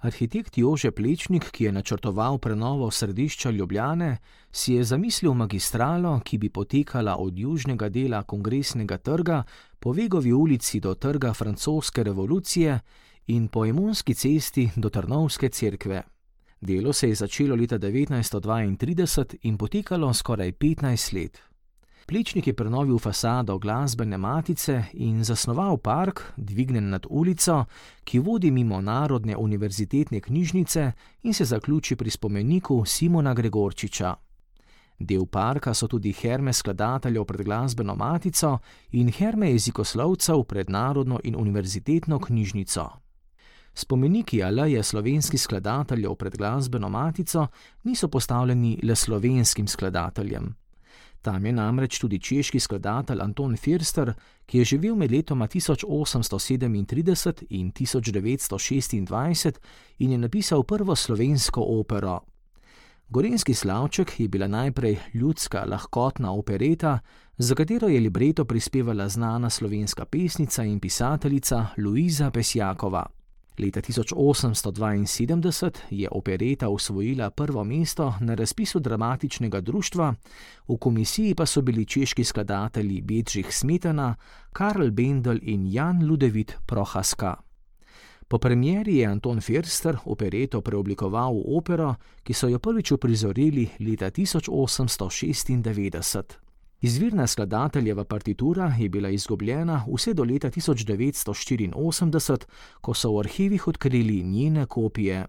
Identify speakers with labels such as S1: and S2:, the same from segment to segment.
S1: Arhitekt Jože Plečnik, ki je načrtoval prenovo središča Ljubljane, si je zamislil magistralo, ki bi potekala od južnega dela Kongresnega trga po Vegovi ulici do Trga francoske revolucije in po Emonski cesti do Trnovske cerkve. Delo se je začelo leta 1932 in potekalo skoraj 15 let. Plečnik je prenovil fasado Glasbene matice in zasnoval park, dvignen nad ulico, ki vodi mimo Narodne univerzitetne knjižnice in se zaključi pri spomeniku Simona Gregorčiča. Del parka so tudi herme skladateljev pred Glasbeno matico in herme jezikoslovcev pred Narodno in univerzitetno knjižnico. Spomeniki aleje slovenskih skladateljev pred Glasbeno matico niso postavljeni le slovenskim skladateljem. Tam je namreč tudi češki skladatelj Anton Firster, ki je živel med letoma 1837 in 1926 in je napisal prvo slovensko opero. Gorenjski slavček je bila najprej ljudska, lahkotna opereta, za katero je libreto prispevala znana slovenska pesnica in pisateljica Luiza Pesjakova. Leta 1872 je opereta osvojila prvo mesto na razpisu dramatičnega društva, v komisiji pa so bili češki skladatelji Bedřich Smetana, Karl Bendel in Jan Ludevit Prohaska. Po premieri je Anton Firster opereto preoblikoval v opero, ki so jo prvič uprizorili leta 1896. Izvirna skladateljeva partitura je bila izgubljena vse do leta 1984, ko so v arhivih odkrili njene kopije.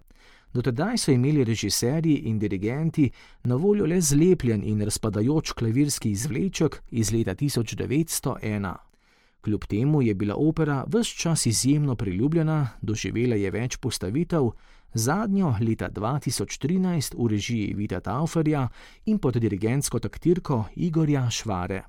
S1: Do tedaj so imeli režiserji in dirigenti na voljo le zlepljen in razpadajoč klavirski izvleček iz leta 1901. Kljub temu je bila opera ves čas izjemno priljubljena, doživela je več postavitev, zadnjo leta 2013 v režiji Vita Tauferja in pod dirigentsko taktirko Igorja Švare.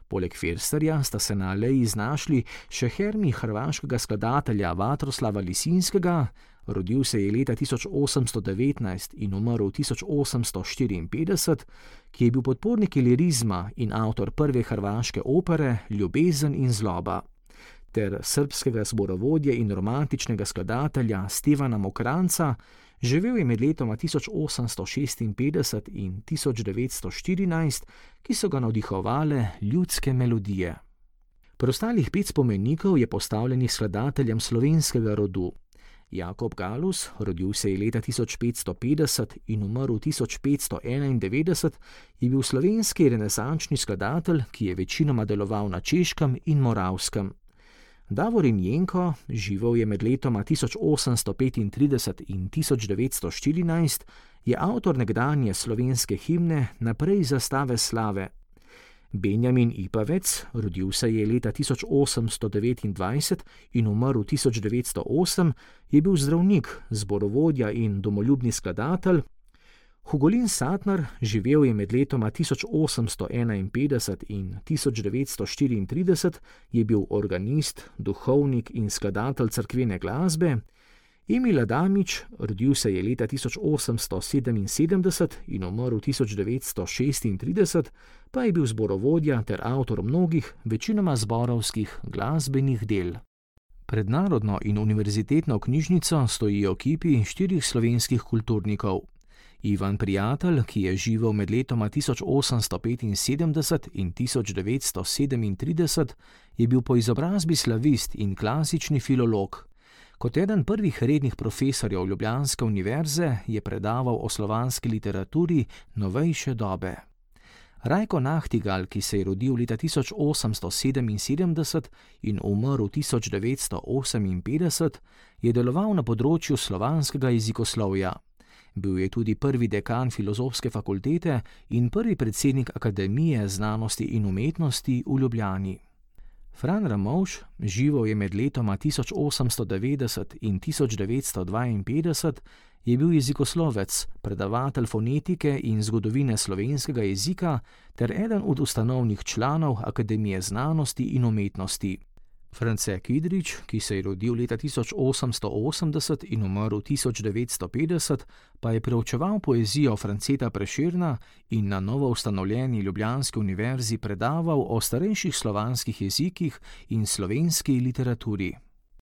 S1: Poleg Firsterja sta se na aleji znašli še hermi hrvaškega skladatelja Vatroslava Lisinskega, rodil se je leta 1819 in umrl 1854, ki je bil podpornik lirizma in avtor prve hrvaške opere Ljubezen in zloba, ter srbskega zborovodje in romantičnega skladatelja Stevana Mokranca, živel je med letoma 1856 in 1914, ki so ga navdihovale ljudske melodije. Preostalih 5 spomenikov je postavljenih skladateljem slovenskega rodu. Jakob Galus, rodil se je leta 1550 in umrl 1591, je bil slovenski renesančni skladatelj, ki je večinoma deloval na Češkem in Moravskem. Davorin Jenko, živel je med letoma 1835 in 1914, je avtor nekdanje slovenske himne Naprej zastave slave. Benjamin Ipavec, rodil se je leta 1829 in umrl 1908, je bil zdravnik, zborovodja in domoljubni skladatelj. Hugolin Satnar, živel je med letoma 1851 in 1934, je bil organist, duhovnik in skladatelj cerkvene glasbe. Emil Adamič, rodil se je leta 1877 in umrl 1936, pa je bil zborovodja ter avtor mnogih, večinoma zborovskih glasbenih del. Pred Narodno in univerzitetno knjižnico stojijo kipi 4 slovenskih kulturnikov. Ivan Prijatelj, ki je živel med letoma 1875 in 1937, je bil po izobrazbi slavist in klasični filolog. Kot eden prvih rednih profesorjev Ljubljanske univerze je predaval o slovanski literaturi novejše dobe. Rajko Nahtigal, ki se je rodil leta 1877 in umrl 1958, je deloval na področju slovanskega jezikoslovja. Bil je tudi prvi dekan Filozofske fakultete in prvi predsednik Akademije znanosti in umetnosti v Ljubljani. Fran Ramovš, živel je med letoma 1890 in 1952, je bil jezikoslovec, predavatelj fonetike in zgodovine slovenskega jezika ter eden od ustanovnih članov Akademije znanosti in umetnosti. France Kidrič, ki se je rodil leta 1880 in umrl 1950, pa je preučeval poezijo Franceta Prešerna in na novo ustanovljeni Ljubljanski univerzi predaval o starejših slovanskih jezikih in slovenski literaturi.